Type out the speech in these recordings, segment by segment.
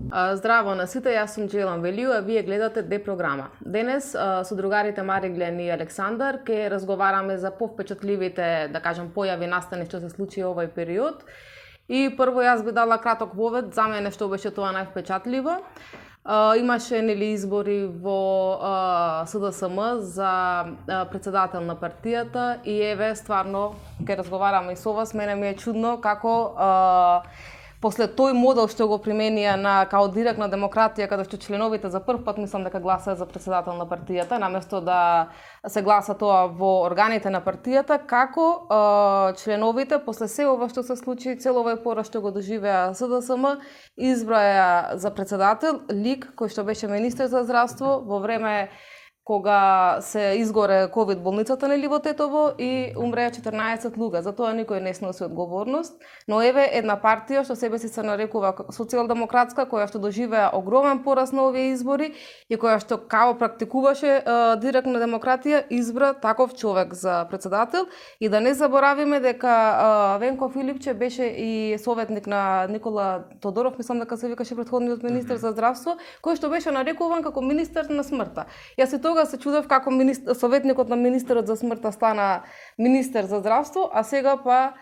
Здраво на сите, јас сум Джелан Велију, а вие гледате Д програма. Денес со другарите Мариглен и Александар ќе разговараме за повпечатливите, да кажам, појави настани што се случи овој период. И прво јас би дала краток вовед за мене што беше тоа највпечатливо. Имаше нели избори во СДСМ за председател на партијата и еве стварно ќе разговараме и со вас. Мене ми е чудно како после тој модел што го применија на као директна демократија, каде што членовите за прв пат мислам дека гласаат за председател на партијата, наместо да се гласа тоа во органите на партијата, како членовите после се ова што се случи, цел овој пораз што го доживеа СДСМ, избраја за председател лик кој што беше министер за здравство во време кога се изгоре ковид болницата нели во Тетово и умреа 14 луѓе. За тоа никој не сноси одговорност, но еве една партија што себе си се нарекува социјалдемократска, која што доживеа огромен пораз на овие избори и која што као практикуваше директна демократија, избра таков човек за председател. И да не заборавиме дека Венко Филипче беше и советник на Никола Тодоров, мислам дека се викаше претходниот министер за здравство, кој што беше нарекуван како министер на смртта. Јас и тога се чудев како советникот на министерот за смртта стана министер за здравство, а сега па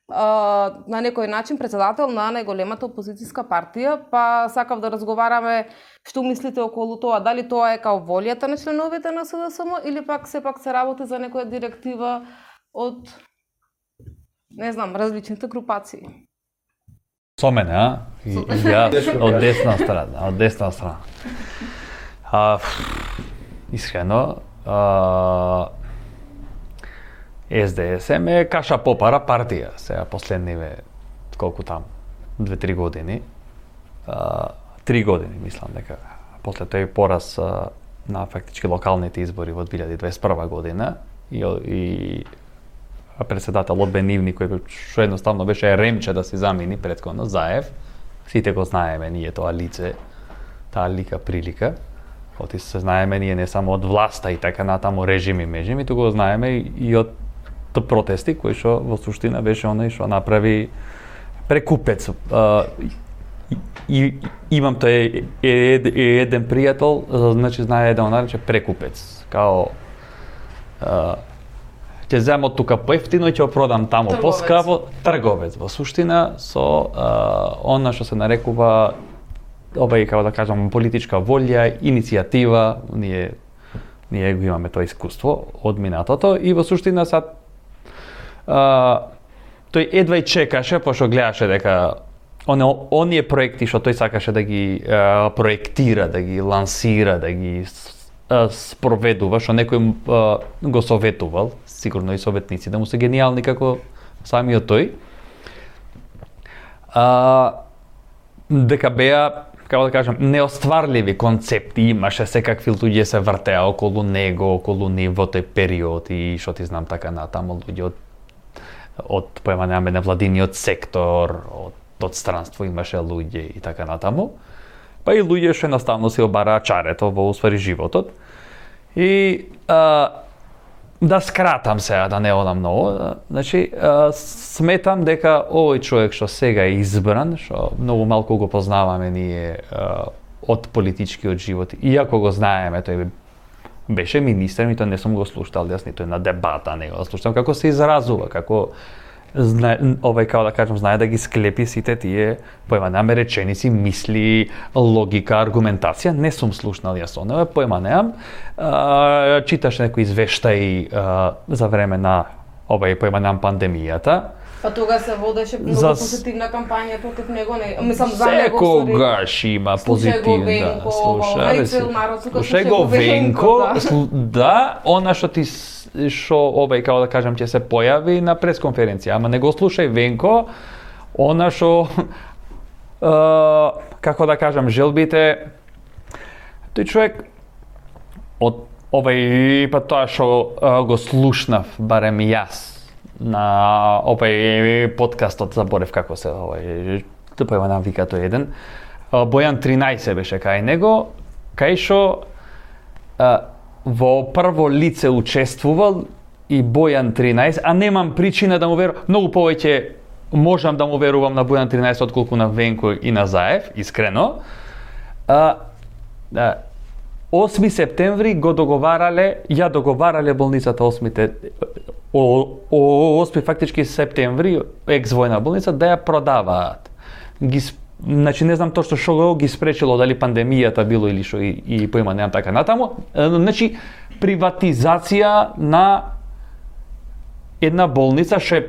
на некој начин председател на најголемата опозицијска партија, па сакав да разговараме што мислите околу тоа, дали тоа е као волјата на членовите на СДСМ или пак сепак се работи за некоја директива од не знам, различните групации. Со мене, а? Ја од десна страна. Искрено, СДСМ е каша попара партија, сега последниве, колку там, 2-3 години, 3 години, мислам дека, после тој пораз на фактички локалните избори во 2021 година и председателот Бенивни, кој што едноставно беше ремче да се замени претходно Заев, сите го знаеме ние тоа лице, таа лика прилика. Оти се знаеме ние не само од власта и така натаму режими, туку го знаеме и од протести кои што во суштина беше оној што направи прекупец. И имам тој еден пријател, значи знае да го нарече прекупец. Као ќе земам тука поевтино и ќе продам таму поскапо, трговец. Во суштина со она што се нарекува овај, како да кажам, политичка волја, иницијатива, ние го имаме тоа искуство од минатото и во суштина сад тој едва и чекаше, пошто гледаше дека оние проекти што тој сакаше да ги проектира, да ги лансира, да ги спроведува, што некој го советувал, сигурно и советници да му се гениални како самиот тој, дека беа, како да кажам, неостварливи концепти, имаше секакви луѓе се вртеа околу него, околу нив во тој период и што ти знам така натаму луѓе од поемане на владиниот сектор, од странство имаше луѓе и така натаму. Па и луѓе што едноставно се обараа чарето во уствари животот. И да скратам сега, да не одам многу, значи сметам дека овој човек што сега е избран, што многу малку го познаваме ние од политичкиот живот, иако го знаеме, тој беше министер, нито не сум го слушал, јас нито на дебата не го слушам, како се изразува, како овај, како да кажам, знае да ги склепи сите тие појма неаме реченици, мисли, логика, аргументација, не сум слушнал јас онова, појма неам, читаш некои извештаи за време на овај појма неам пандемијата. Па тога се водеше многу позитивна кампања против него, мислам за него. Секогаш има позитивна. Слушај го Венко, да, она што ти што овај, како да кажам, ќе се појави на пресконференција, ама не го слушај Венко, она што како да кажам, желбите тој човек од овај па тоа што го слушнав барем јас на овај подкастот, заборев како се овај, тупајма нам вика тој еден, Бојан 13 беше кај него, кај што во прво лице учествувал и Бојан 13, а немам причина да му верувам, многу повеќе можам да му верувам на Бојан 13 отколку на Венко и на Заев, искрено, 8 септември го договарале болницата 8 фактички септември екс-војна болница да ја продаваат. Значи не знам точно што ги спречило, дали пандемијата било или што и поима немам така натаму. Значи приватизација на една болница што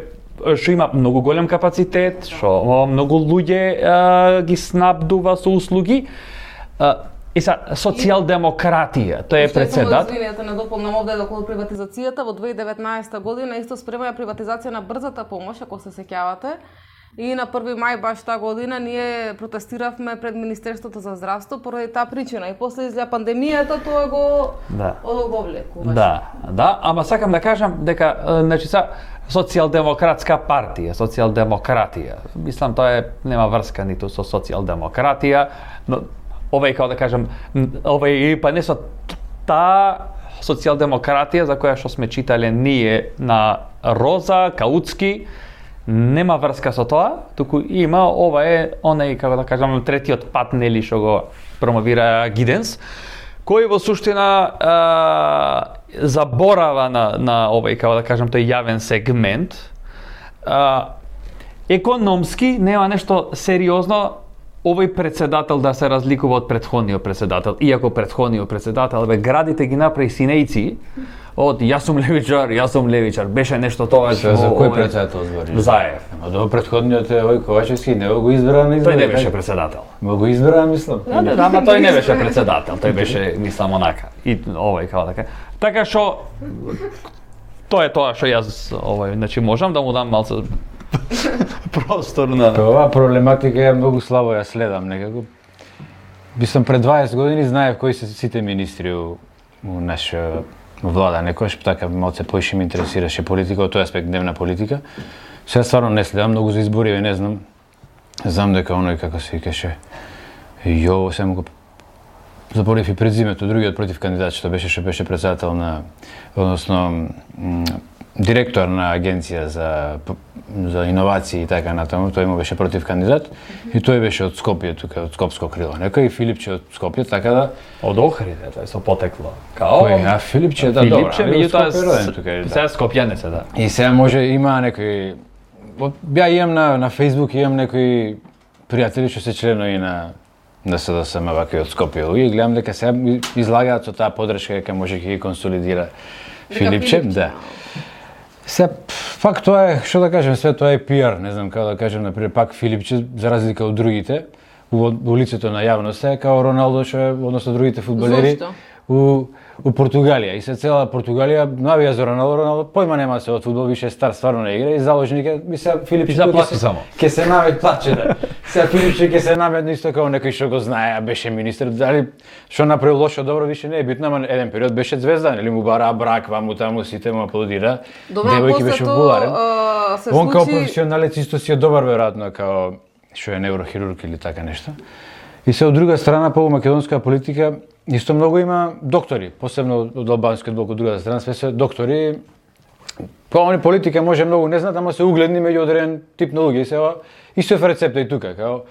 има многу голем капацитет, што многу луѓе ги снабдува со услуги. Социјалдемократија, тој е председател. Извинете, не дополнам овде околу приватизацијата. Во 2019 година исто спремаја приватизација на брзата помош, ако се сеќавате. И на 1 мај баш таа година ние протестиравме пред Министерството за здравство поради таа причина. И после излеа пандемијата, тоа го одоговлекуваше. Да, ама сакам да кажам дека значи социјалдемократска партија, социјалдемократија. Мислам тоа нема врска ниту со социјалдемократија, но овај како да кажам, па не со таа социјалдемократија за која што сме читале ние на Роза, Каутски, нема врска со тоа, туку има ова е онај како да кажам третиот пат нели што го промовира Гиденс, кој во суштина заборава на овај како да кажам тој јавен сегмент. Економски нема нешто сериозно овој председател да се разликува од претходниот председател, иако претходниот председател градите ги направи синејци од јас сум левичар, беше нешто тоа за кој председател збориш? Заев. До претходниот е овој Ковачевски, не го избра на избори. Тој не беше председател. Го избра, мислам. Да, ама тој не беше председател, тој беше мислам онака. И овој како така. Така што тоа е тоа што јас значи можам да му дам малце простор на оваа проблематика е многу слабо ја следам некако. Бисам пред 20 години знаев кои се сите министри у наша влада, некојаш така малце поише ме интересираше политика, од тој аспект дневна политика. Сега стварно не следам многу за избори, не знам. Знам дека оној како се викаше Јово само го заборев и презимето, другиот против кандидат што беше председател на, односно директор на агенција за иновации и така натаму, тој му беше против кандидат и тој беше од Скопје, тука од Скопско крило. Некој Филипче од Скопје, така да од Охрид, тоа е со потекло. Као Филипче, да, добро. Филипче, меѓутоа сега скопјанец, да. И сега може има некој ја имам на Facebook, имам некои пријатели што се членови на СДСМ вака од Скопје. И гледам дека сега излагаат со таа подршка дека може ќе ги консолидира Филипче, да. Се пак тоа е, што да кажем, све тоа е пиар, не знам како да кажем, например, пак Филипче за разлика од другите во лицето на јавноста е као Роналдо што е, односно другите фудбалери у Португалија. И се цела Португалија навија за Роналдо, појма нема се од фудбал, више е стар, стварно не игра и заложник е, би се Филипче ќе се намет плаче да. Сега Филипче ќе се намет исто како некој што го знае, беше министер, дали што направил лошо добро више не е битно, ама еден период беше звезда, нели му бара брак, ваму таму сите му аплодира. Девојки беше популарен. Он како професионалец исто си е добар веројатно како што е неврохирург или така нешто. И се од друга страна по македонска политика исто многу има доктори, посебно од албанскиот блок, од другата страна све се доктори. Па они политика може многу не знаат, ама се угледни меѓу одреден тип на луѓе. Сега исто е рецепта и тука, како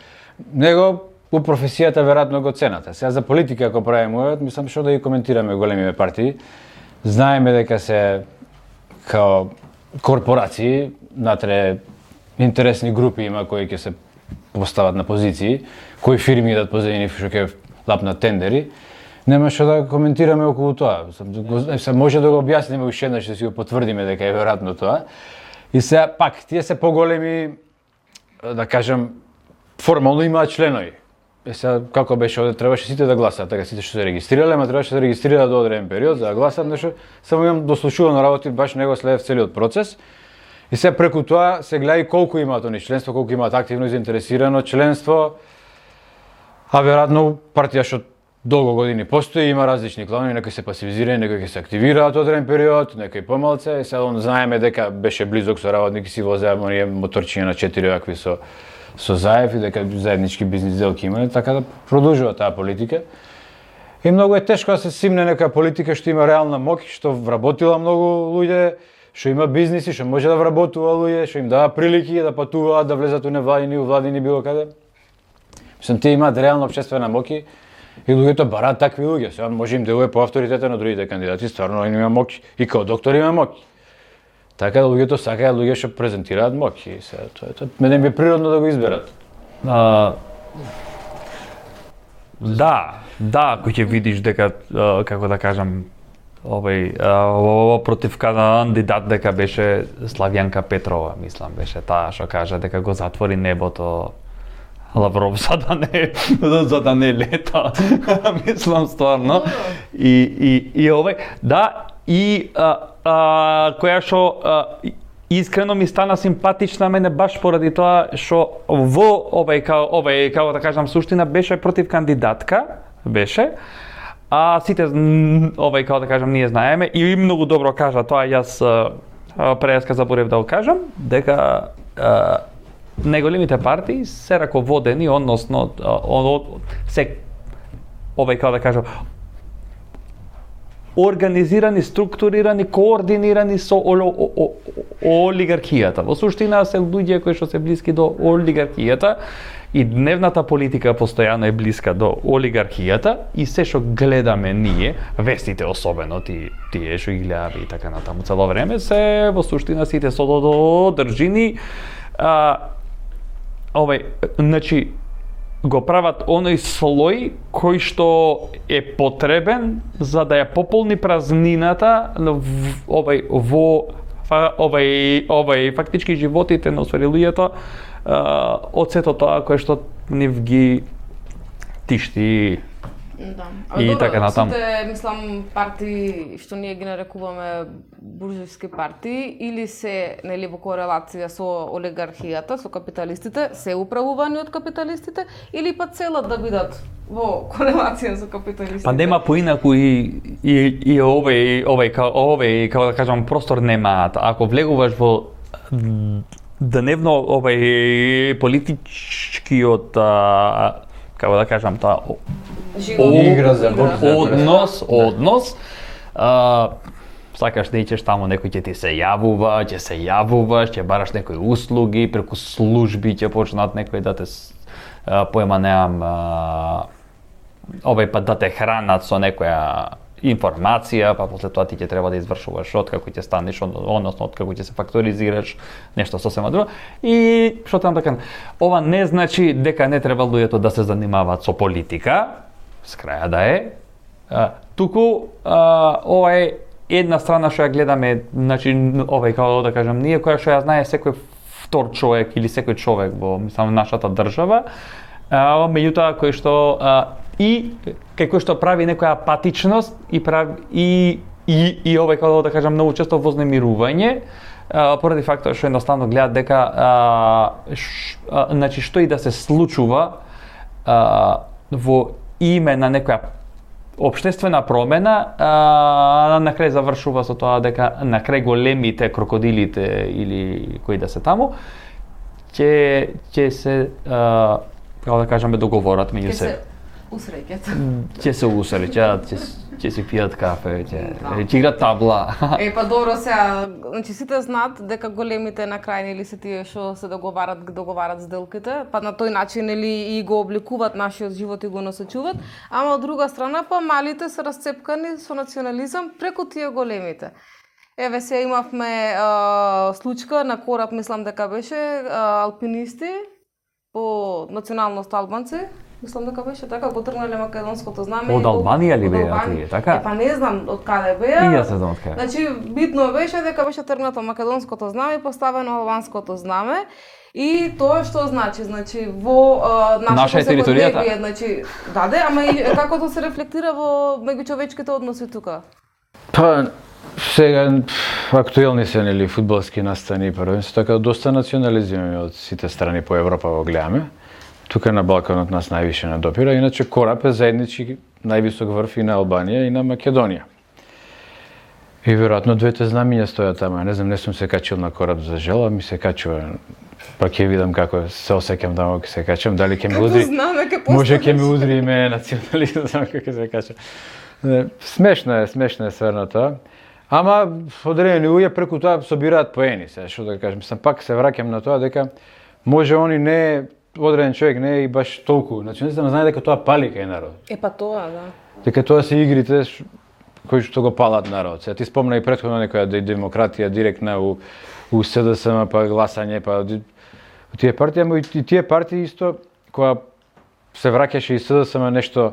него у професијата веројатно го цената. Сега за политика ако правиме, мислам што да ги коментираме големите партии. Знаеме дека се као корпорации, натре интересни групи има кои ќе се постават на позиции, кои фирми идат позади што ќе лапнат тендери. Нема што да коментираме околу тоа. Се може да го објасниме уште еднаш, да си го потврдиме дека е веројатно тоа. И сега пак тие се поголеми, да кажам, формално имаат членови. Сега како беше овде требаше сите да гласаат, така сите што се регистрирале, ама требаше да се регистрираат до одреден период за да гласаат, нешто само имам дослушувано работи, баш него следев целиот процес. И сега преку тоа се гледа и колку имаат они членство, колку имаат активно и заинтересирано членство. А веројатно партија што долго години постои, има различни кланови, некои се пасивизираат, некои ќе се активираат одреден период, некои помалце. Сега он знаеме дека беше близок со работник и си возеа оние моторчиња на 4 акви со Заев и дека заеднички бизнис сделки имале, така да продолжува таа политика. И многу е тешко да се симне нека политика што има реална моќ, што вработила многу луѓе, што има бизниси, што може да вработува луѓе, што им дава прилики да патуваат, да влезат у невладини, у владини било каде. Мислам, тие имаат реална општествена моќ, и луѓето бараат такви луѓе. Сега може им делува по авторитета на другите кандидати, стварно они има моќ и као доктор има моќ. Така да луѓето сакаат луѓе што презентираат моќ и се тоа мене би природно да го изберат. Да, кој ќе видиш дека како да кажам против кандидат дека беше Славјанка Петрова, мислам беше таа што кажа дека го затвори небото Лавров за да не лета. Мислам стварно. И која што искрено ми стана симпатична мене баш поради тоа што во како да кажам суштина беше против кандидатка, беше. А сите како да кажам ние знаеме и многу добро кажа тоа, јас преска заборев да го кажам дека најголемите партии се раководени, односно се како да кажам организирани, структурирани, координирани со олигархијата. Во суштина се луѓе кои што се блиски до олигархијата и дневната политика постојано е блиска до олигархијата и се што гледаме ние, вестите особено тие што ги гледаме и така натаму цело време, се во суштина сите со држини значи го прават оној слој кој што е потребен за да ја пополни празнината фактички животите на луѓето од сето тоа кое што нив ги тишти. Да. И така натаму. Сите, мислам, партии што ние ги нарекуваме буржујски партии или се нели во корелација со олигархијата, со капиталистите, се управувани од капиталистите или па целат да бидат во корелација со капиталистите? Па нема поинаку и како да кажам простор немаат. Ако влегуваш во дневно политичкиот како да кажам тоа однос сакаш да ичеш таму, некој ќе ти се јавуваш, ќе бараш некои услуги, преку служби ќе почнат некој да те поема неам па да те хранат со некоја информација, па после тоа ти ќе треба да извршуваш откако ќе станеш, односно откако ќе се факторизираш, нешто сосема друго. И што таму така, ова не значи дека не треба луѓето да се занимаваат со политика, с краја да е, туку ова е една страна што ја гледаме, значи како да кажам ние, која што ја знае секој втор човек или секој човек во мислам нашата држава, меѓутоа кој што и како што прави некоја апатичност и како да кажам многу често вознемирување поради фактот што едноставно гледат дека значи што и да се случува во име на некоја општествена промена, на крај завршува со тоа дека на крај големите крокодилите или кои да се таму ќе се како да кажеме договорат меѓу себе. Ќе се усреќат, ќе си пијат кафе, ќе играат табла. Па добро сега, значи сите знаат дека големите на крај нели се тие што се договарат сделките, па на тој начин нели и го обликуваат нашиот живот и го насочуваат, ама од друга страна па малите се расцепкани со национализам преку тие големите. Еве се имавме случка на кораб, мислам дека беше алпинисти по националност албанци. Мислам дека беше така, го тргнале македонското знаме. Од Албанија ли беа тие, така? Па не знам од каде беа. И јас не знам од каде. Значи битно беше дека беше тргнато македонското знаме и поставено албанското знаме. И тоа што значи во нашата територија, значи даде, ама и како тоа се рефлектира во меѓучовечките односи тука? Па сега актуелни се нели фудбалски настани првенство, така доста национализирани од сите страни по Европа го гледаме. Тука на Балканот нас највише не допира, иначе кораб е заеднички највисок врв и на Албанија и на Македонија. И веројатно двете знамиња стојат тама. Не знам, не сум се качил на кораб за жел, ми се качува. Па ќе видам како се осеќам таму кога се качам, дали ќе ме удри. Може ќе ме удри име национализам како се качам. Смешно е стварно тоа. Ама одредени луѓе преку тоа собираат поени, се што да кажам. Сам пак се враќам на тоа дека може они не одреден човек не е и баш толку националист, но знае дека тоа пали кај народ. Па тоа, да. Дека тоа се игрите кои што го палат народ. Сега ти спомна и претходно некоја демократија директна у СДСМ, па гласање, па тие партии, ама и тие партии исто која се враќаше и СДСМ нешто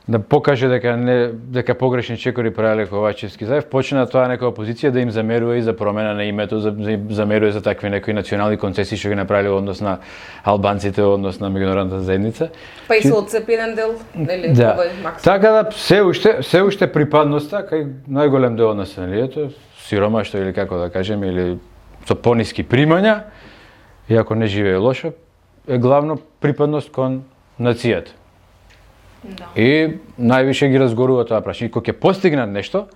да покаже дека погрешни чекори правеле Ковачевски Заев, почна тоа некоја опозиција да им замерува и за промена на името, замерува за такви некои национални концесии што ги направиле во однос на албанците, во однос на меѓународната заедница. Па и се одцепи еден дел, нели, да. овој максимум. Така да се уште припадноста кај најголем дел од населението, сиромаштво или како да кажем, или со пониски примања, иако не живее лошо, е главно припадност кон нацијата. Да. И највише ги разгорува тоа прашање. И кога ќе постигнат нешто,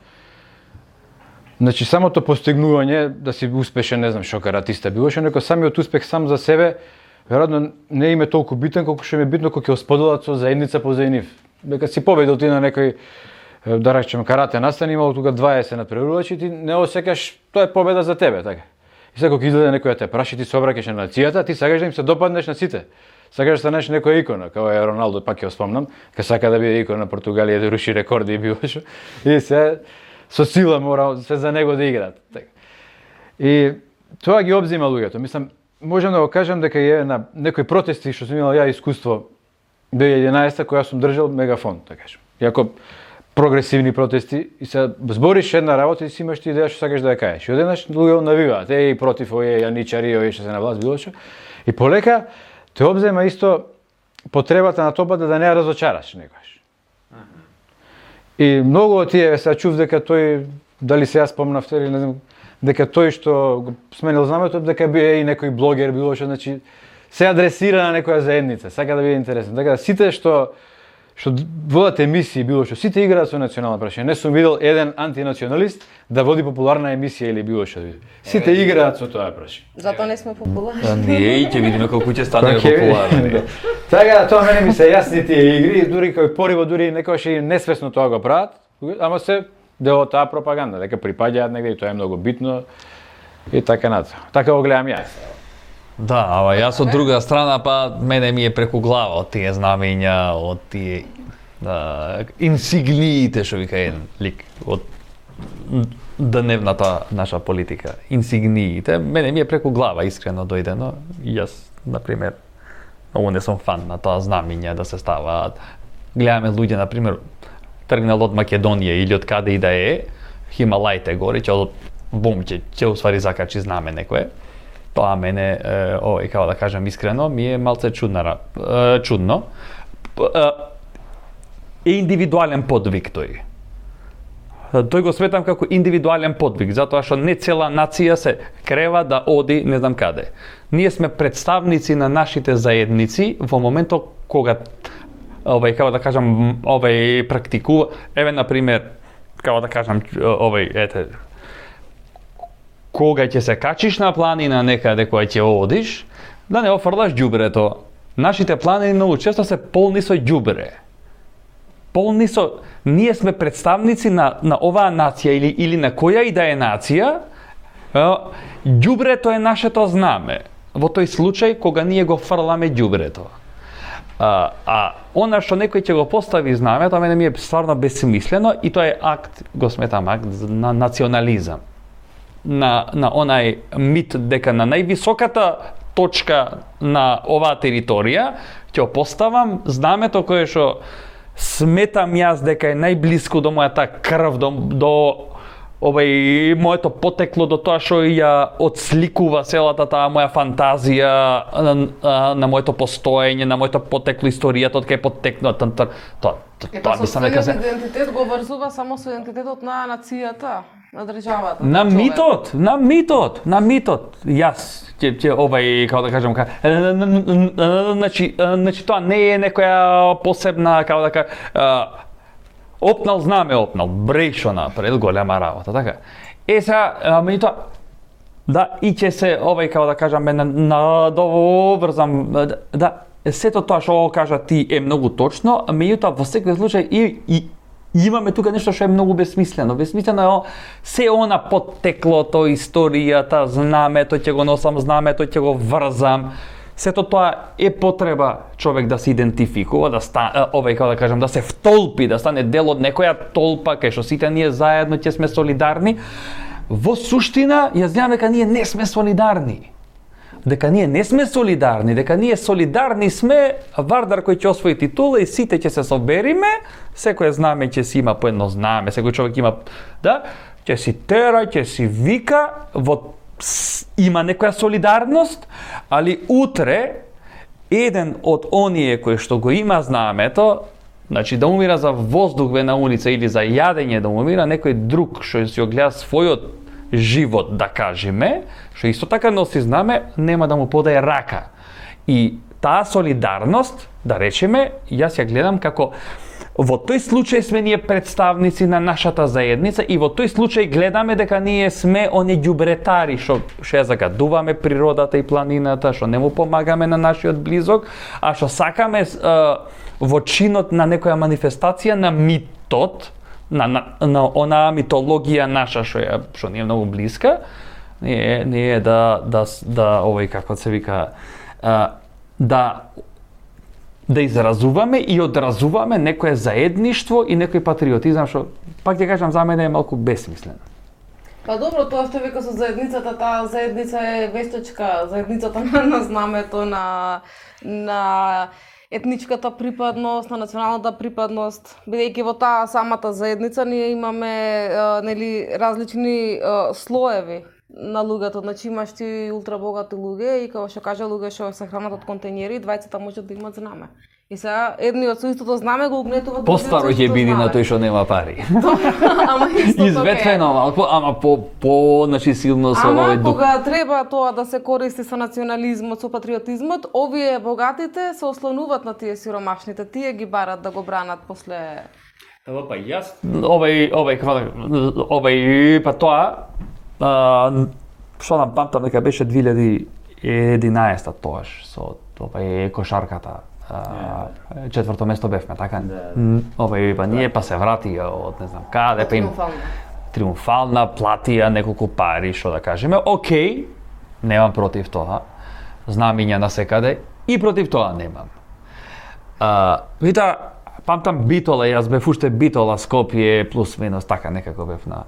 значи самото постигнување да си успешен, не знам, шокаратиста било што, некој самиот успех сам за себе веројатно не им е толку битен колку што им е битно кога ќе споделат со заедница позади нив. Дека си победил ти на некој, да речем, карате настан, имало тука 20 надпреварувачи, ти не осекаш, тоа е победа за тебе, така. И сега кога излезе некој да те праши, ти се обраќаш на нацијата, ти сакаш да им се допаднеш на сите. Сакаш да станеш некоја икона, како е Роналдо, пак ја спомнам, ка сака да биде икона на Португалија, да руши рекорди и било што. И се со сила мора се за него да играат. И тоа ги обзима луѓето. Мислам, можам да го кажам дека е на некои протести што сум имал ја искуство 2011 која сум држал мегафон, така кажам. Иако прогресивни протести и се збориш една работа и си имаш ти идеја што сакаш да ја кажеш. И одеднаш луѓе навиваат, и против овие јаничари, овие што се на власт, било што. И полека те обзема исто потребата на тобата да не ја разочараш некојаш. И многу од тие се чув дека тој, дали се јас спомнавте или не знам, дека тој што го сменил знамето, дека бие и некој блогер, било што, значи се адресира на некоја заедница, сака да биде интересен. Така да сите што водат емисии, било што, сите играат со национално прашање. Не сум видел еден антинационалист да води популарна емисија или било што. Сите играат со тоа прашање. Затоа не сме популарни. Не, ќе видиме колку ќе станеме популарни. Така да тоа мене ми се јасни тие игри, дури кој пориво, дури некојаш и несвесно тоа го прават, ама се дел од таа пропаганда, дека припаѓаат негде и тоа е многу битно и така натаму. Така го гледам јас. Да, ама јас од друга страна, па мене ми е преку глава од тие знамења, од тие инсигниите, што вика еден лик, од дневната наша политика. Инсигниите, мене ми е преку глава, искрено дојдено. Јас, например, многу не сум фан на тоа знамење да се ставаат. Гледаме луѓе, например, тргнал од Македонија или од каде и да е, Хималаите гори, ќе бум, ќе усвари закачи знаме некое. Тоа мене, како да кажам искрено, ми е малце чудно. Е индивидуален подвиг тој. Тој го сметам како индивидуален подвиг, затоа што не цела нација се крева да оди не знам каде. Ние сме представници на нашите заедници во моментот кога како да кажам, практикува, например, како да кажам, кога ќе се качиш на планина некаде која ќе одиш, да не офрлаш ѓубрето. Нашите планини многу често се полни со ѓубре. Полни со... Ние сме представници на оваа нација или на која и да е нација, ѓубрето е нашето знаме. Во тој случај кога ние го фрламе ѓубрето. Она што некој ќе го постави знамето, мене ми е стварно бесмислено и тоа е акт, го сметам акт на национализам. На онај мит дека на највисоката точка на оваа територија ќе поставам знамето кое што сметам јас дека е најблиску до мојата крв, до моето потекло, до тоа што ја отсликува целата таа моја фантазија на моето постоење, на моето потекло, историјата од кај потекнува тоа мислам дека се идентитет го врзува само со идентитетот на нацијата, на државата. На митот. Јас ќе како да кажам, значи тоа не е некоја посебна, како да кажам, опнал знаме, брешо напред, голема работа, така. Сега, меѓутоа, да, и ќе се, како да кажам, надоврзам, да, сето тоа што кажа ти е многу точно, меѓутоа, во секој случај и имаме тука нешто што е многу бесмислено. Бесмислено е се она поттеклото, историјата, знамето, ќе го носам знамето, ќе го врзам. сето тоа е потреба човек да се идентификува, да како да кажам, да се втолпи, да стане дел од некоја толпа кај што сите ние заедно ќе сме солидарни. Во суштина, ја знам дека ние не сме солидарни. Дека ние не сме солидарни, дека ние солидарни сме Вардар кој ќе освои титула и сите ќе се собериме, секој знаме ќе си има по едно знаме, секој човек има, да, ќе си тера, ќе си вика, има некоја солидарност, али утре еден од оние кои што го има знамето, значи да умира за воздух на улица или за јадење да умира, некој друг што си огледа својот живот, да кажеме, што исто така носи знаме, нема да му подаде рака. И таа солидарност, да речеме, јас ја гледам како во тој случај сме ние представници на нашата заедница и во тој случај гледаме дека ние сме оние ѓубретари што ја загадуваме природата и планината, што не му помагаме на нашиот близок, а што сакаме во чинот на некоја манифестација на митот, на онаа митологија наша што ни е многу блиска, не е да овој како се вика да изразуваме и одразуваме некое заедништво и некој патриотизам што пак ќе кажам за мене е малку бесмислено. Па добро, тоа што вика со заедницата, таа заедница е вештачка, заедницата на знамето, на етничката припадност, на националната припадност, бидејќи во таа самата заедница ние имаме нели различни слоеви на луѓето, значи имаш ти ултрабогати луѓе и како што кажа луѓе што се хранат од контејнери, двајцата можат да имат знаме. И сега едниот со истото знаме го угнетуваат. Постаро ќе биде на тој што нема пари. Ама исто изветвено малку, ама по значи силно со овој дух. Ама кога треба тоа да се користи со национализмот, со патриотизмот, овие богатите се ослонуваат на тие сиромашните, тие ги барат да го бранат после. Па јас овој па тоа што нам памтам дека беше 2011 тоаш со кошарката. Четврто место бевме, така? Овој па ние па се вратија од не знам каде, па им триумфална платија неколку пари, што да кажеме. Океј, немам против тоа. Знамиња на секаде и против тоа немам. Вида, памтам Битола, јас бев уште Битола Скопје плюс минус така некако бев на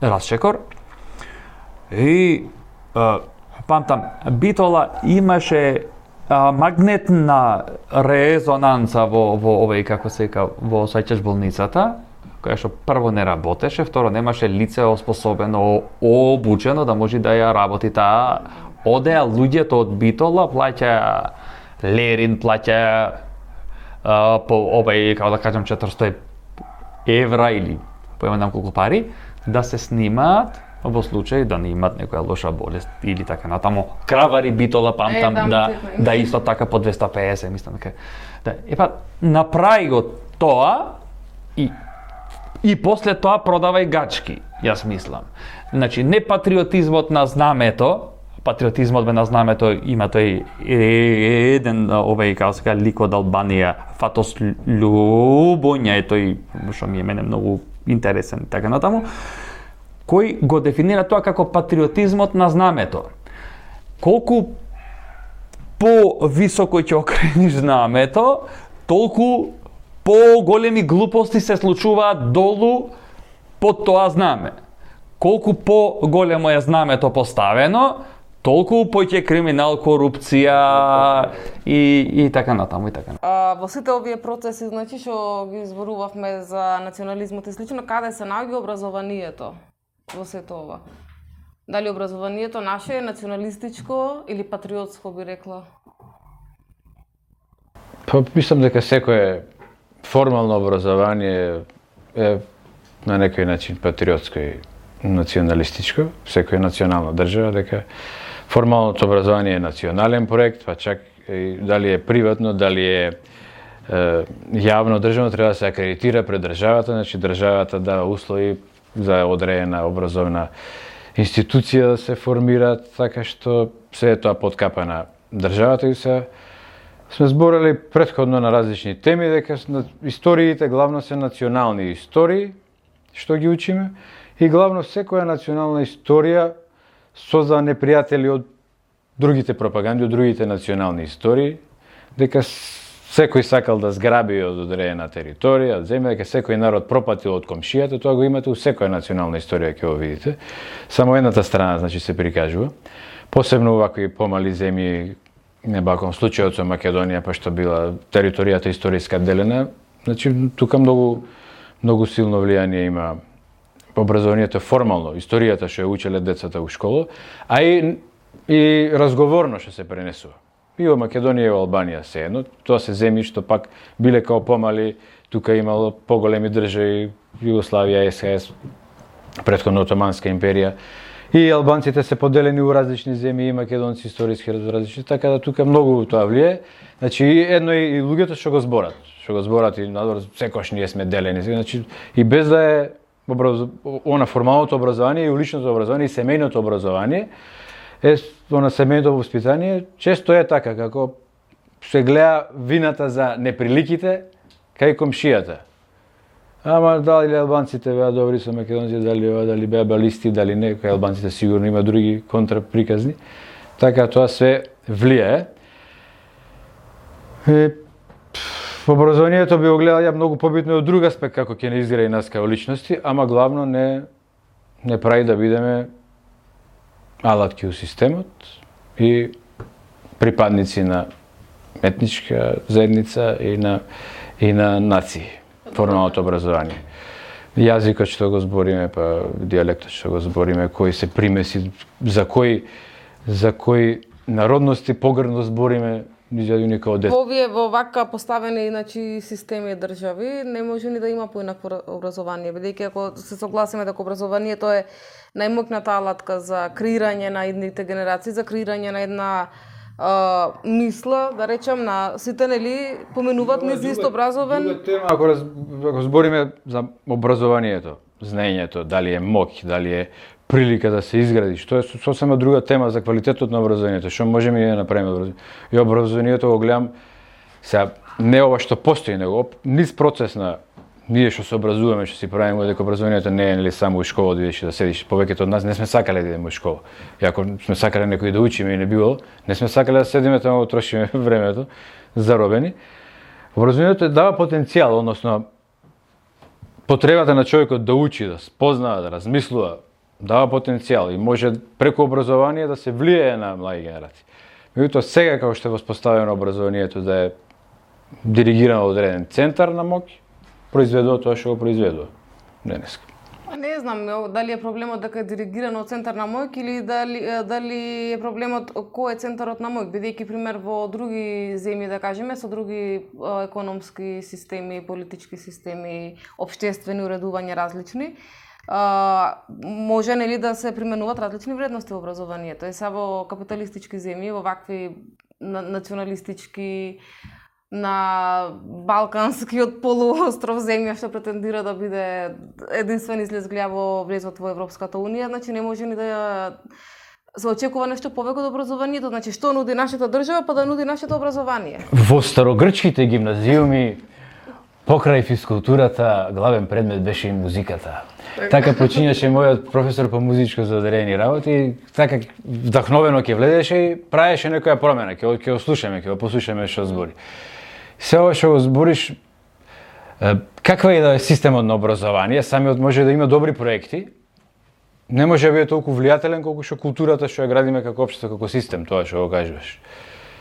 Расчекор. И памтам Битола имаше магнетна резонанца во овој како се вика во Сајчеш болницата, која што прво не работеше, второ немаше лице оспособено, обучено да може да ја работи таа. Одеа луѓето од Битола, плаќа Лерин, плаќа по овој како да кажам 400 евра или појмам колку пари да се снимаат во случај да не имат некоја лоша болест или така натаму. Кравари Битола памтам да исто така по 250, мислам дека. Да, епа направи го тоа и после тоа продавај гачки, јас мислам. Значи не патриотизмот на знамето, патриотизмот на знамето има тој еден овој како се лик од Албанија, Фатос Љубоња е тој што ми е мене многу интересен така натаму, кој го дефинира тоа како патриотизмот на знамето. Колку по-високо ќе окрениш знамето, толку по-големи глупости се случуваат долу под тоа знаме. Колку по-големо е знамето поставено, толку поќе криминал, корупција и така натаму и така. Во сите овие процеси, значи што ги зборувавме за национализмот и слично, каде се наоѓа образованието во сето ова? Дали образованието наше е националистичко или патриотско, би рекла? Па мислам дека секое формално образование е на некој начин патриотско и националистичко, секоја национална држава, дека формалното образование е национален проект, па чак и дали е приватно, дали е јавно државно, треба да се акредитира пред државата, значи државата дава услови за одредена образовна институција да се формира, така што се е тоа под капа на државата и се сме зборали претходно на различни теми, дека историите главно се национални истории, што ги учиме, и главно секоја национална историја созда непријатели од другите пропаганди, од другите национални истории, дека секој сакал да зграби од одредена територија, земја, дека секој народ пропатил од комшијата, тоа го имате у секоја национална историја, ќе го видите. Само едната страна, значи, се прикажува. Посебно вакви помали земји, не баком случајот со Македонија, па што била територијата историска делена, значи, тука многу силно влијание има образованието формално, историјата што ја учеле децата у школа, а и разговорно што се пренесува. И во Македонија и во Албанија се едно, тоа се земји што пак биле као помали, тука имало поголеми држави, Југославија, СХС, претходно Отоманска империја, и албанците се поделени у различни земји, и македонци историски различни, така да тука многу тоа влие. Значи едно и луѓето што го зборат и надвор секогаш ние сме делени, значи и без да е она формалното образование и уличното образование и семејното образование, на семејното воспитание, често е така, како се гледа вината за неприликите кај комшијата. Ама дали албанците беа добри со македонците, дали беа балисти, дали не, кај албанците сигурно има други контраприказни. Така тоа се влијае. Образованието би го гледал ја многу побитно од друг аспект како ќе не изгледа и нас као личности, ама главно не прави да бидеме алатки у системот и припадници на етничка заедница и на нации, формалното образование. Јазикот што го збориме, па дијалектот што го збориме, кои се примеси, за кои народности погрдно збориме, во вака поставени системи и држави не може ни да има поинакво образование, бидејќи ако се согласиме дека образованието е најмокната алатка за креирање на идните генерации, за креирање на една мисла, да речем, на сите, нели, поменуваат низ исто образован. Друга тема, ако збориме за образованието, знаењето, дали е моќ, дали е прилика да се изгради, што е сосема друга тема за квалитетот на образованието, што можеме и да направиме. И образованието го гледам сега не ова што постои, него низ процес на ние што се образуваме, што си правиме, дека образованието не е нели само у школа да идеш и да седиш. Повеќето од нас не сме сакале да идеме у школа. И ако сме сакале некој да учиме и не било, не сме сакале да седиме таму, трошиме времето заробени. Образованието дава потенцијал, односно потребата на човекот да учи, да спознава, да размислува, дава потенцијал и може преку образование да се влијае на млади генерации. Меѓутоа сега како што е воспоставено образованието да е диригирано од одреден центар на моќ, произведува тоа што го произведува денеска. Не знам дали е проблемот дека е диригирано од центар на моќ или дали е проблемот кој е центарот на моќ, бидејќи пример во други земји, да кажеме, со други економски системи, политички системи, општествени уредувања различни, може нели да се применуваат различни вредности во образованието. И са во капиталистички земји, во вакви националистички, на балканскиот полуостров земја што претендира да биде единствен излез во влезот во Европската унија, значи не може ни да се очекува нешто повеќе од образованието, значи што нуди нашата држава, па да нуди нашето образование. Во старогрчките гимназиуми покрај физкултурата главен предмет беше и музиката. Така почињаше мојот професор по музичко заделени работи и така вдахновено ќе влезеше и правеше некоја промена, ќе го слушаме, ќе го послушаме што збори. Се ова што го збориш, каква е да е системот на образование, самиот може да има добри проекти, не може да биде толку влијателен колку што културата што ја градиме како општество, како систем, тоа што го кажуваш.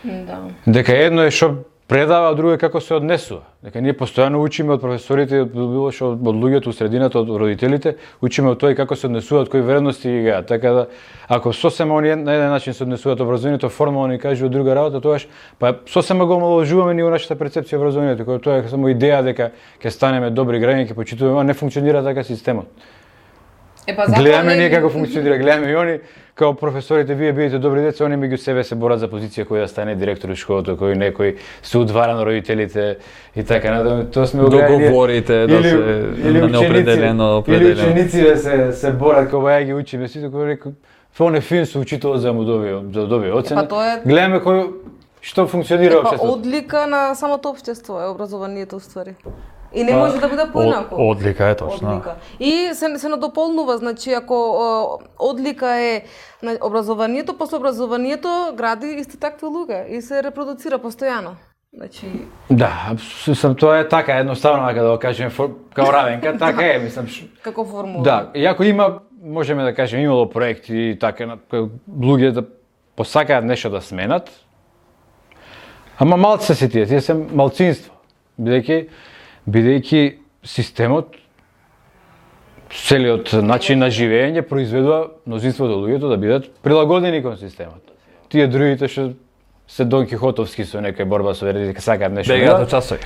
Да. Дека едно е што предава, а друго е како се однесува. Дека ние постојано учиме од професорите, од било што од луѓето, од средината, од родителите, учиме од тоа и како се однесуваат, кои вредности ги гаат. Така да, ако сосема они на еден начин се однесуваат образованието, формално ни кажува друга работа, тогаш па сосема го омаловажуваме ние нашата перцепција образованието, која тоа е само идеја дека ќе станеме добри граѓани, ќе почитуваме, а не функционира така системот. Гледаме ние како функционира, гледаме и они како професорите, вие бидете добри деца, они меѓу себе се борат за позиција кој да стане директор во школата, кој некој се удвара на родителите и така натаму. Тоа сме договорите да се на неопределено. Или учениците се борат кога ја ги учиме, сите кои рекоа фоне фин со учителот за му добие оцена. Гледаме кој што функционира општеството. Одлика на самото општество е образованието уствари. И не може да биде поинаку. Одлика е точно. Одлика. И се надополнува, значи ако одлика е образованието, после образованието гради исти такви луѓе и се репродуцира постојано. Значи Да, тоа е така едноставно дека да го кажеме као равенка, така е, мислам. како формула. Да, иако има, можеме да кажеме, имало проекти така на луѓе да посакаат нешто да сменат. Ама малце се тие се малцинство. Бидејќи системот, целиот начин на живење произведува мнозинството луѓето да бидат прилагодени кон системот. Тие другите што се Дон Кихотовски со некоја борба со верите, сакаат нешто. Бегаат од часови.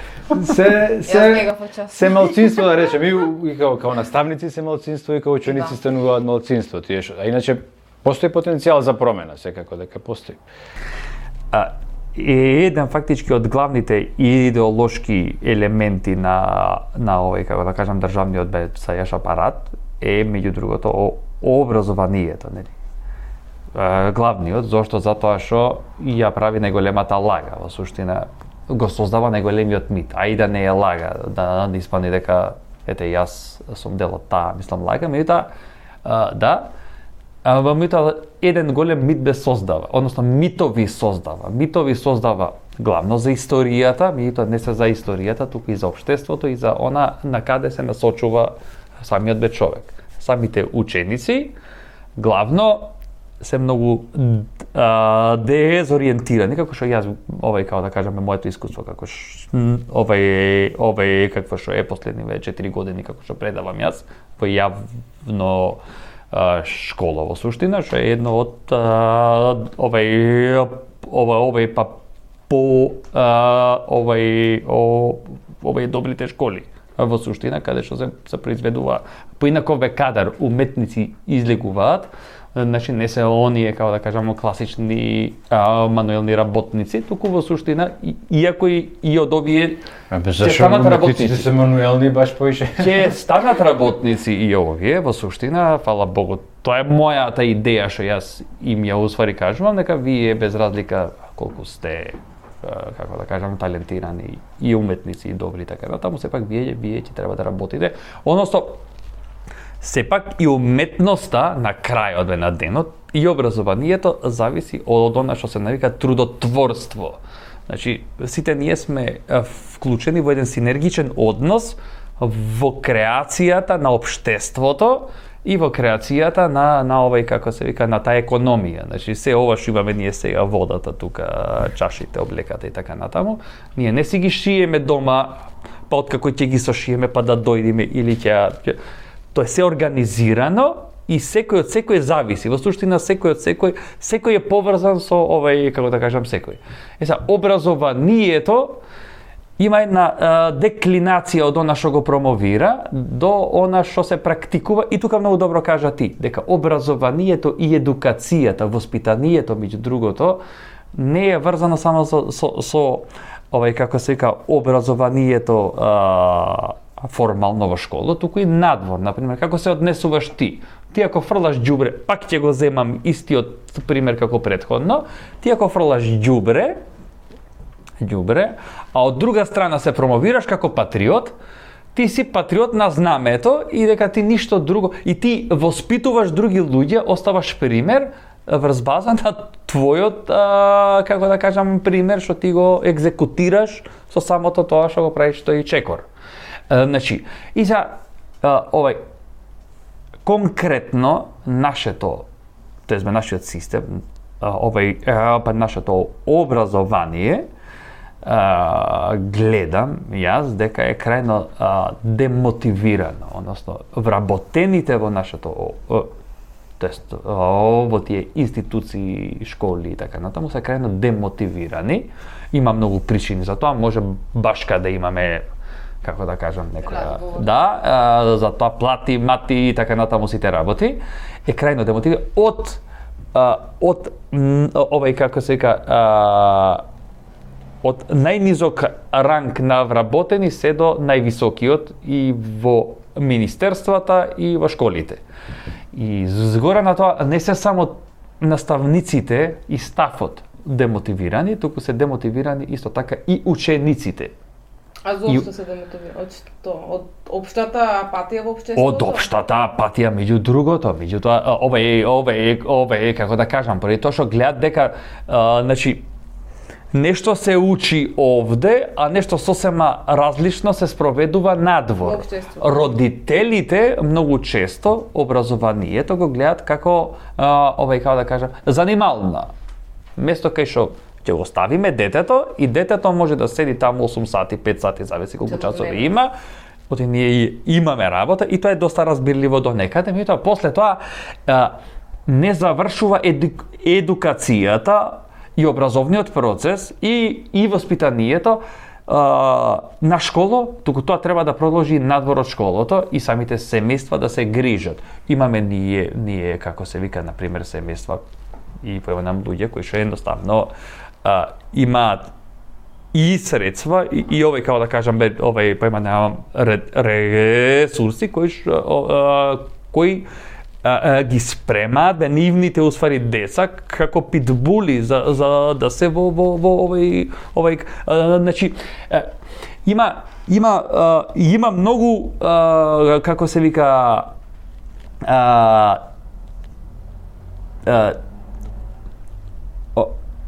Се малцинство да речеме, и као наставници се малцинство и као ученици стануваат малцинство, тие што. А иначе постои потенцијал за промена, секако дека постои. Еден фактички од главните идеолошки елементи на овој, како да кажам, државниот бесајаш апарат е меѓу другото образованието, нели? Главниот, зошто? Затоа што ја прави најголемата лага, во суштина го создава најголемиот мит, а и да не е лага, да не испадне дека ете јас сум дел од таа, мислам лага, меѓутоа да, во митот еден голем мит бе создава, односно митови создава главно за историјата, меѓутоа не се за историјата, туку и за општеството и за она на каде се насочува самиот бе човек. Самите ученици главно се многу дезориентирани, како што јас како да кажеме моето искуство, како овај какво што е последниве 4 години како што предавам јас во јавно школа во суштина, што е едно од овај добрите школи во суштина, каде што се произведува поинаков кадар, уметници излегуваат. Значи не се оние, како да кажеме, класични мануелни работници, туку во суштина, иако и од овие ќе станат работници. Се мануелни баш поише. Ќе станат работници и овие, во суштина, фала Богу, тоа е мојата идеја што јас им ја усвари кажувам, дека вие без разлика колку сте, како да кажам, талентирани и уметници и добри така натаму, сепак вие ќе треба да работите. Односно, сепак и уметноста на крајот на денот и образованието зависи од она што се навика трудотворство. Значи, сите ние сме вклучени во еден синергичен однос во креацијата на општеството и во креацијата на овој, како се вика, на таа економија. Значи, се ова што имаме ние сега, водата тука, чашите, облеката и така натаму, ние не си ги шиеме дома, па откако ќе ги сошиеме па да дојдеме или ќе тоа е се организирано и секој од секој зависи. Во суштина секој е поврзан со овај, како да кажам, секој. Образованието има една деклинација од она што го промовира до она што се практикува и тука многу добро кажа ти, дека образованието и едукацијата, воспитанието меѓу другото не е врзано само со овај, како се вика, образованието формално во школа, туку и надвор, например, како се однесуваш ти. Ти ако фрлаш ѓубре, пак ќе го земам истиот пример како претходно, ти ако фрлаш ѓубре, а од друга страна се промовираш како патриот, ти си патриот на знамето и дека ти ништо друго, и ти воспитуваш други луѓе, оставаш пример врз база на твојот, како да кажам, пример што ти го екзекутираш со самото тоа што го правиш тој чекор. Значи, и за конкретно нашето систем, нашето образование, гледам јас дека е крајно демотивирано, односно вработените во нашето во тие институции, школи и така натаму се крајно демотивирани. Има многу причини за тоа, може баш каде имаме, како да кажам, некоја за тоа плати, мати и така натаму сите работи, е крајно демотивиран од овај, како се вика, од најнизок ранг на вработени се до највисокиот и во министерствата и во школите. И згора на тоа не се само наставниците и стафот демотивирани, туку се демотивирани исто така и учениците. А зошто се демотивира? Од што? Од општата апатија во општеството? Од општата апатија, меѓу другото, меѓутоа, ове, како да кажам, први тоа што гледат дека, значи, нешто се учи овде, а нешто сосема различно се спроведува надвор. Родителите многу често образованието го гледат како, како да кажам, занимална. Место кај што ќе го оставиме детето и детето може да седи таму 8 сати, 5 сати, зависи колку часови има. Оти ние имаме работа и тоа е доста разбирливо до некаде, меѓутоа после тоа не завршува едукацијата и образовниот процес и воспитанието на школа, туку тоа треба да продолжи надвор од школото и самите семејства да се грижат. Имаме ние како се вика, например, семејства и појавам луѓе кои што едноставно имаат и средства и овој, како да кажам, немам ресурси кои ги спремаат нивните уствари деца како питбули за да се во овој значи има многу како се вика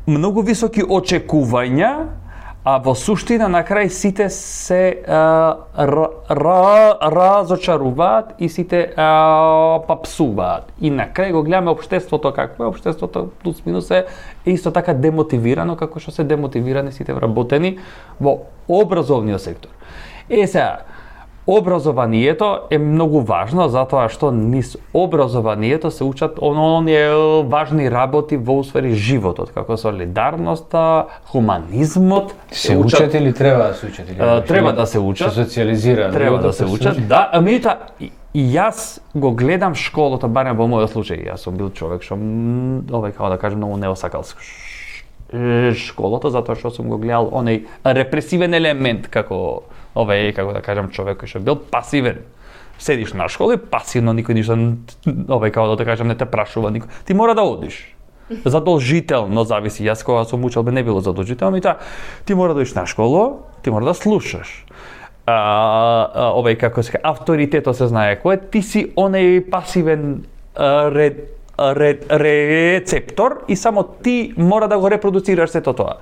многу високи очекувања, а во суштина на крај сите се разочаруваат и сите папсуваат. И на крај го гледаме општеството какво е. Општеството плюс минус е исто така демотивирано како што се демотивирани сите вработени во образовниот сектор. Сега, образованието е многу важно затоа што низ образованието се учат оние важни работи во усвари животот, како солидарноста, хуманизмот. Се учат или треба да се учат? Треба да се учат. Се социализира. Треба да се учат. Да, меѓутоа и јас го гледам школата, барем во мојот случај. Јас сум бил човек што како да кажам многу не осакал школата затоа што сум го гледал оној репресивен елемент како како да кажам, човек кој што бил пасивен. Седиш на школа и пасивно никој ништо како да кажам не те прашува никој. Ти мора да одиш. Задолжително зависи. Јас кога сум учел не било задолжително, ти мора да одиш на школа, ти мора да слушаш. Како се авторитето се знае кој е, ти си оној пасивен рецептор и само ти мора да го репродуцираш сето тоа.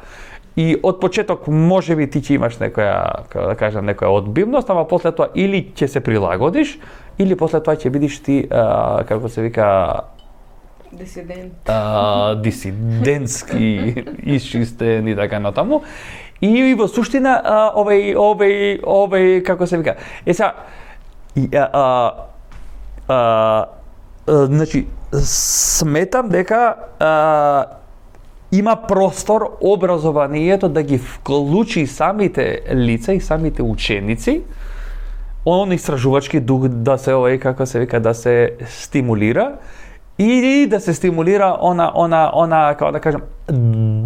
И од почеток можеби ти ќе имаш некоја, како да кажам, некоја одбивност, ама после тоа или ќе се прилагодиш, или после тоа ќе бидеш ти, како се вика, дисидентски исчистен и така натаму. И во суштина како се вика. Значи сметам дека има простор образованието да ги вклучи самите лица и самите ученици, он истражувачки дух да се како се вика, да се стимулира и да се стимулира она како да кажам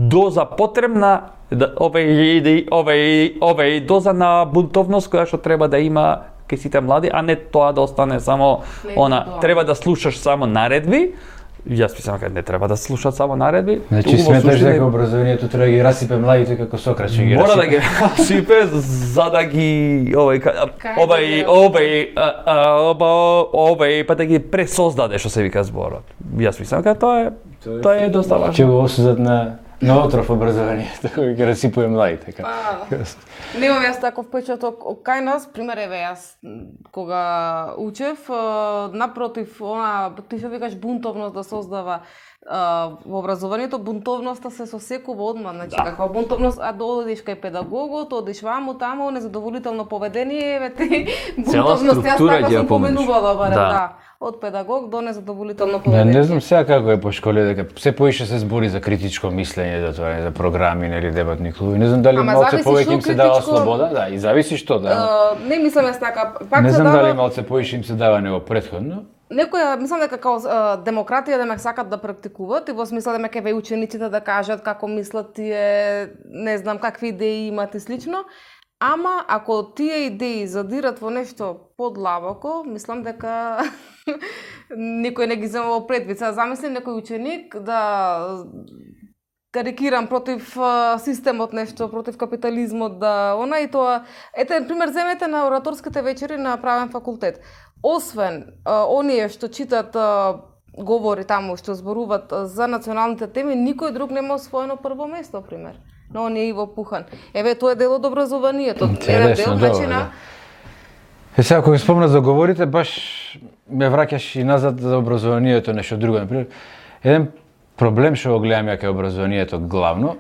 доза потребна доза на бунтовност која што треба да има кај сите млади, а не тоа да остане само треба да слушаш само наредби. Јас мислам дека не треба да слушаат само наредби. Значи сметаш дека образованието треба да ги расипе младите како Сократ што ги расипе. Мора да ги расипе за да ги па да ги пресоздаде што се вика зборот. Јас мислам дека тоа е доста важно. Ќе го осудат на отров образованието кој ги расипува младите. Немам јас таков впечаток кај нас, пример еве јас кога учев, напротив, ти што викаш бунтовност да создава во образованието, бунтовноста се сосекува одма, значи каква бунтовност, а одиш кај педагогот, одиш ваму таму, незадоволително поведение, еве ти бунтовност, јас така сум поменувала барем, од педагог до незадоволително поведение. Не знам сега како е по школи, дека се поише се збори за критичко мислење, да тоа е за програми или дебатни клубови. Не знам дали малце повеќе им се дава слобода, и зависи што не мислам јас така, пак не знам дали малце поише им се дава него претходно. Некоја, мислам дека како демократија да ме сакат да практикуват и во смисла да ме кеве учениците да кажат како мислат тие, не знам какви идеи имат и слично. Ама ако тие идеи задират во нешто подлабоко, мислам дека никој не ги зема во предвид. Замисли некој ученик да карикирам, против системот нешто, против капитализмот, и тоа. Ете, пример, земете на ораторските вечери на правен факултет. Освен оние што читат говори таму, што зборуваат за националните теми, никој друг нема освоено прво место, пример. Но он е Иво Пухан. Еве, тоа е дел од образованието. Еден дел, значи на... Сега, кога спомна за говорите, баш ме враќаш и назад за образованието, нешто друго. Например, еден проблем што го гледам ја кај образованието главно,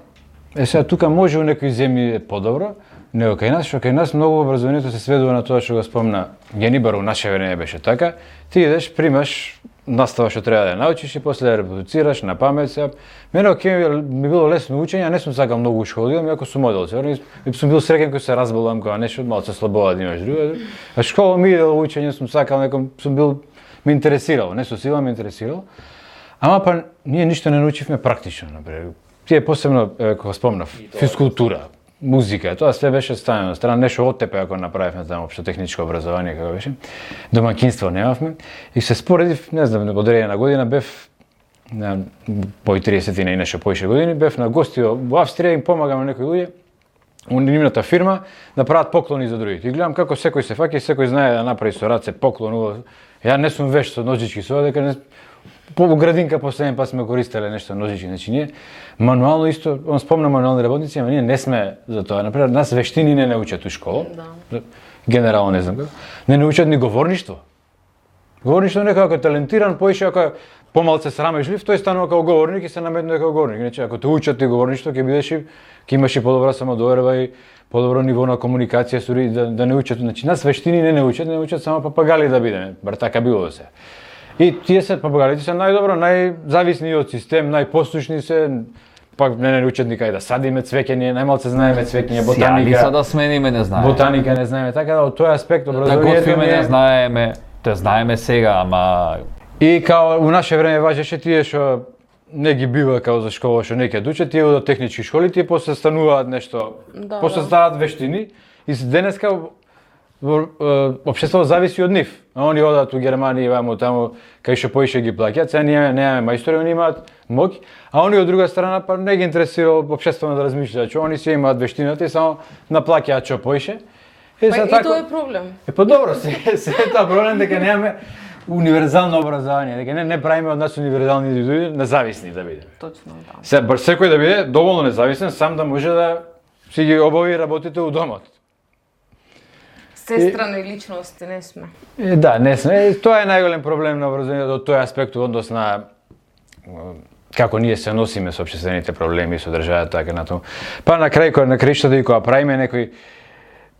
сега тука може у некои земји е подобро, него кај нас, што кај нас многу образованието се сведува на тоа што го спомна Гени, бар у наше време беше така. Ти идеш, примаш настава што треба да научиш и после да репродуцираш на памет се. Мене ми било лесно учење, а не сум сакал многу школа, иако сум одел. Сум бил среќен кога се разболам, кога нешто малку слабоа да имаш друго. А школа ми иде учење, сум сакал, неком сум бил ме интересирало, не со сила ме интересирало. Ама па ние ништо не научивме практично, например. Тие посебно кога спомнав, физкултура, музика, тоа све беше ставено на страна, нешто оттепе ако направивме таму општо техничко образование како беше. Домаќинство немавме и се споредив, не знам, одредена година бев на мои 30 и нешто поише години, бев на гости во Австрија и им помагам на некои луѓе у нивната фирма да прават поклони за другите. И гледам како секој се фаќа и секој знае да направи со раце поклон. Ја не сум вешт со ножички со дека не по градинка последен пат сме користеле нешто ножички, значи ние мануално исто, он спомна мануални работници, ама ние не сме за тоа. Например, нас вештини не научат у школа. Да. Генерално не знам како. Не научат ни говорништво. Говорништво некако талентиран, поише ако помалце срамежлив, тој станува како говорник и се наметнува како говорник. Значи ако те учат ти говорништво, ќе бидеш и ќе имаш и подобра самодоверба и подобро ниво на комуникација, сури да не учат. Значи нас вештини не научат само папагали да бидеме. Бар така било се. И тие се папагалите се најдобро, најзависни од систем, најпослушни се, пак не учат никај да садиме цвеќе, ние најмалце знаеме цвеќе, ботаника. Сјалица да смениме не знаеме. Ботаника не знаеме, така да од тој аспект образованието да не знаеме, те знаеме сега, ама и као у наше време важеше тие што не ги бива као за школа што не ќе дучат, тие од технички школи, тие после стануваат нешто, после ставаат вештини и денеска општеството зависи од нив. Они одат у Германија, ваму таму, кај што поише ги плаќаат, сега ние немаме мајстори, они имаат моќ, а они од друга страна па не ги интересира општеството да размишлуваат, што они си имаат вештината и само наплаќаат што поише. И тоа е проблем. Па добро, се тоа проблем дека немаме универзално образование, дека не правиме од нас универзални индивиди, независни да бидеме. Точно, да. Сега секој да биде доволно независен, сам да може да си ги обави работите у домот. Сестрани личности не сме. Да, не сме. Тоа е најголем проблем на образованието од тој аспект во однос на како ние се носиме со општествените проблеми со државата така натаму. Па на крај на краиштата и кога правиме некои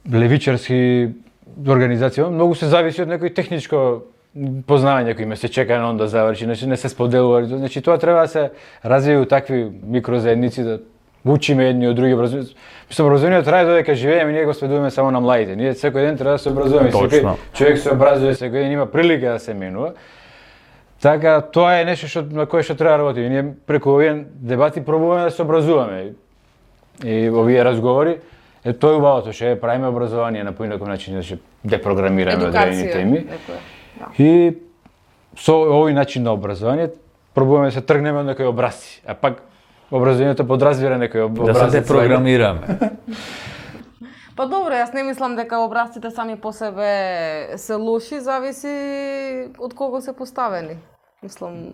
левичарски организации, многу се зависи од некој техничко познавање кој ме се чека на он да заврши, не се споделува. Значи тоа треба да се развива такви микрозаедници да учиме едни од други образованието. Мислам, образованието трае додека живееме, ние го спредуваме само на младите. Ние секој ден треба да се образуваме. Секој човек се образува, секој ден има прилика да се менува. Така, тоа е нешто на кое што треба да работиме. Ние преку овие дебати пробуваме да се образуваме. И овие разговори, тоа е убавото, што правиме образование на поинаков начин, да ќе депрограмираме одредени теми. И со овој начин на образование пробуваме да се тргнеме од некои образци, а пак образованието подразбира некој образец. Да се депрограмираме. Па добро, јас не мислам дека образците сами по себе се лоши, зависи од кого се поставени. Мислам,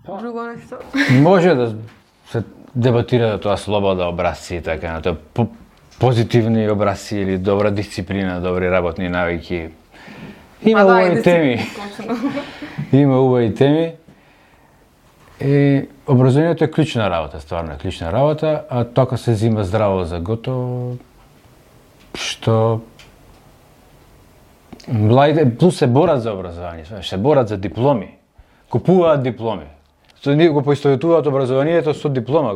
друго нешто. Може да се дебатира да тоа слобода образци и така на тоа позитивни образци или добра дисциплина, добри работни навики. Има убави теми. Има убави теми. И образованието е клучна работа, стварно е клучна работа, а тоа се зима здраво за готово, што младите плюс се борат за образование, се борат за дипломи, купуваат дипломи. Го поистоветуваат образованието со диплома,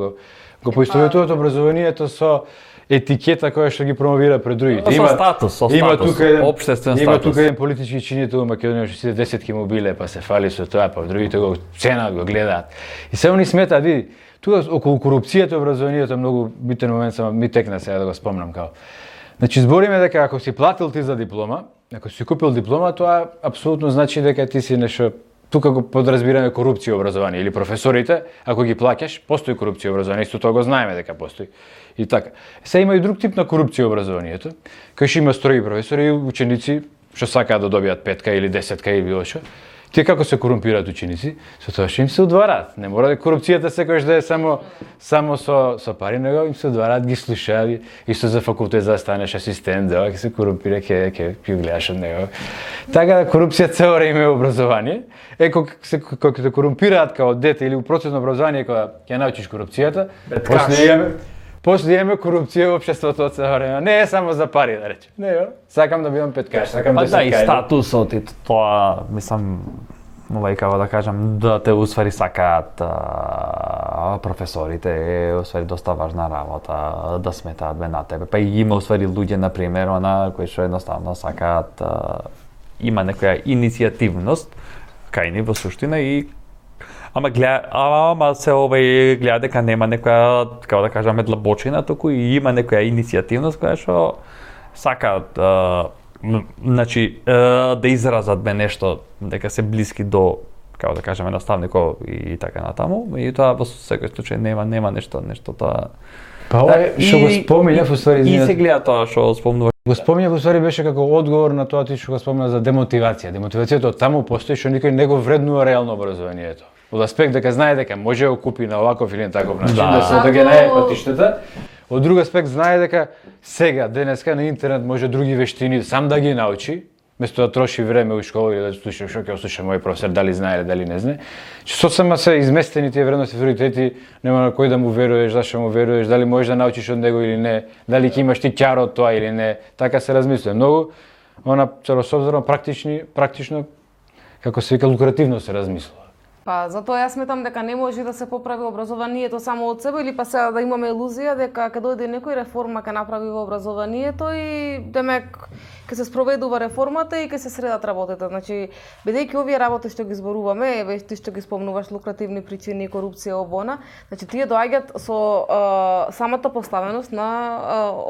го поистоветуваат образованието со етикета која што ги промовира пред другите. Со статус, општествен статус. Има тука еден политички чинител во Македонија што сите 10 ки му биле, па се фали со тоа, па другите го ценат, го гледаат. И се они сметаат, види, тука околу корупцијата и образованието е многу битен момент, само ми текна сега да го спомнам као. Значи збориме дека ако си платил ти за диплома, ако си купил диплома, тоа апсолутно значи дека ти си нешто тука го подразбираме корупција образование или професорите, ако ги плаќаш, постои корупција образование, исто тоа го знаеме дека постои. И така. Се има и друг тип на корупција образованието, кај што има строги професори и ученици што сакаат да добијат 5 или 10 или било што. Тие како се корумпираат ученици, со тоа што им се удвараат. Не мора да корупцијата секогаш да е само со пари, него им се удвараат, ги слушаат, исто за факултет за да станеш асистент, да ќе се корумпира, ќе гледаш од него. Така да корупција цело време е образование. Кога те корумпираат као дете или у процес на образование кога ќе научиш корупцијата, после имаме корупција во општеството од цело време. Не е само за пари, да речем. Не, сакам да бидам петкаш, сакам да се да и статусот и тоа, мислам, како да кажам, да те усвари сакаат професорите, усвари доста важна работа, да сметаат бе на тебе. Па и има усвари луѓе, например, кои што едноставно сакаат, има некоја иницијативност кај ни во суштина и ама се гледа дека нема некоја, како да кажаме, длабочина, туку и има некоја иницијативност која што сакаат значи да изразат бе нешто, дека се блиски до, како да кажеме, наставников и така натаму, и тоа во секој случај нема нешто тоа. Па ова што го спомнав уствари, и се гледа тоа што спомнуваш. Го спомнав уствари беше како одговор на тоа ти што го спомна за демотивација. Демотивацијата таму постои што никој не го вреднува реално образованието. Од аспект дека знае дека може да го купи на оваков или на таков начин, да се да ги најде патиштата. Од друг аспект знае дека сега, денеска на интернет може други вештини сам да ги научи, место да троши време у школа или да слуша што ќе слуша мој професор, дали знае или дали не знае. Соцсама се изместени тие вредности, приоритети, нема на кој да му веруваш, зашто му веруваш, дали можеш да научиш од него или не, дали ќе имаш ти ќар од тоа или не. Така се размислува. Многу целособзорно практично како се вика лукративно се размислува. Па затоа јас сметам дека не може да се поправи образованието само од себе или па сега да имаме илузија дека ќе дојде некој реформа ќе направи во образованието и демек ќе се спроведува реформата и ќе се средат работите. Значи, бидејќи овие работи што ги зборуваме, еве ти што ги спомнуваш, лукративни причини, корупција, обона, значи тие доаѓаат со самата поставеност на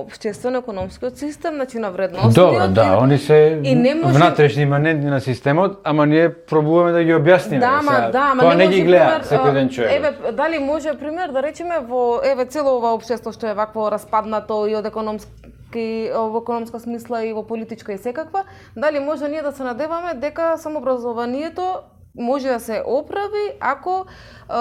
општествено-економскиот систем, значи на вредностиот. Добро, да, они се внатрешни иманентни на системот, ама ние пробуваме да ги објасниме. Тоа не ги гледа секој ден човек. Еве, дали може пример да речеме во цело ова општество што е вакво распаднато и од во економска смисла и во политичка и секаква, дали може ние да се надеваме дека самообразованието може да се оправи ако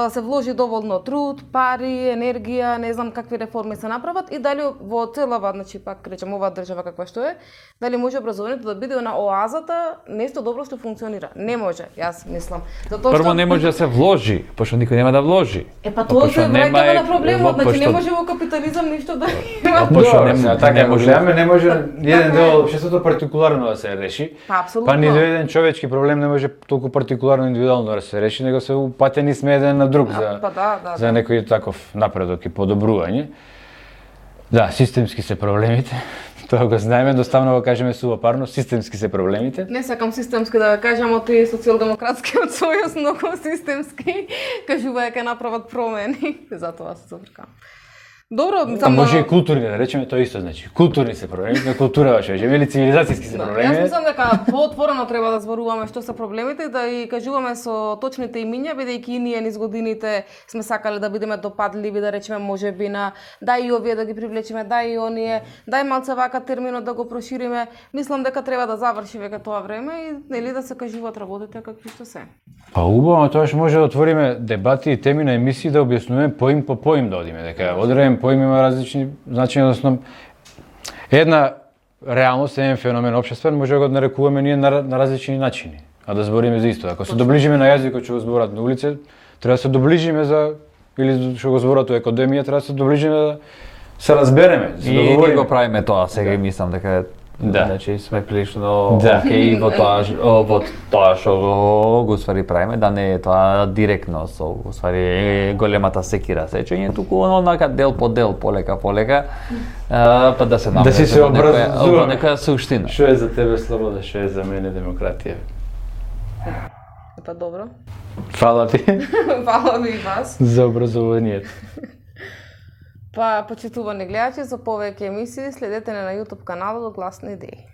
се вложи доволно труд, пари, енергија, не знам какви реформи се направат и дали во целава, значи пак речем оваа држава каква што е, дали може образованието да биде на оазата, нешто добро што функционира. Не може, јас мислам. Затоа прво не може да се вложи, пошто никој нема да вложи. Па тоа се враќаме на проблемот, значи не може во капитализам ништо да има. Пошто не може, не може еден дел општеството партикуларно да се реши. Па ни еден човечки проблем не може толку партикуларно индивидуално да се реши, него се упатени сме еден на друг за некој таков напредок и подобрување. Да, системски се проблемите. Тоа го знаеме, едноставно го кажеме сувапарно, системски се проблемите. Не сакам системски да кажам, од и социјалдемократскиот сојуз многу системски кажува дека направат промени, затоа се забркам. Добро, само може и културни, да речеме тоа исто, значи културни се проблеми, на култура ваше, или цивилизацијски се проблеми. Јас мислам дека поотворено треба да зборуваме што се проблемите и да и кажуваме со точните имиња, бидејќи ние низ годините сме сакале да бидеме допадливи, да речеме можеби на дај и овие да ги привлечеме, дај и оние, дај малце вака терминот да го прошириме. Мислам дека треба да заврши веќе тоа време и нели да се кажуваат работите какви што се. Па убаво, тоа што може да отвориме дебати и теми на емисии да објаснуваме поим по поим да одиме, дека одреден поим има различни значења, односно една реалност, еден феномен општествен може да го нарекуваме ние на различни начини, а да збориме за исто. Ако се доближиме на јазикот што го зборат на улица, треба да се доближиме за или што го зборат во академија, треба да се доближиме да се разбереме, да се договориме. И ние го правиме тоа сега и мислам дека значи сме прилично окей во тоа што го ствари правиме, да не е тоа директно со ствари големата секира сечење, туку онака дел по дел, полека па да се да си се образува некоја суштина. Што е за тебе слобода, што е за мене демократија? Па добро. Фала ти. Фала ви и вас. За образованието. Па, почитувани гледачи, за повеќе емисии следете на YouTube каналот Гласни идеи.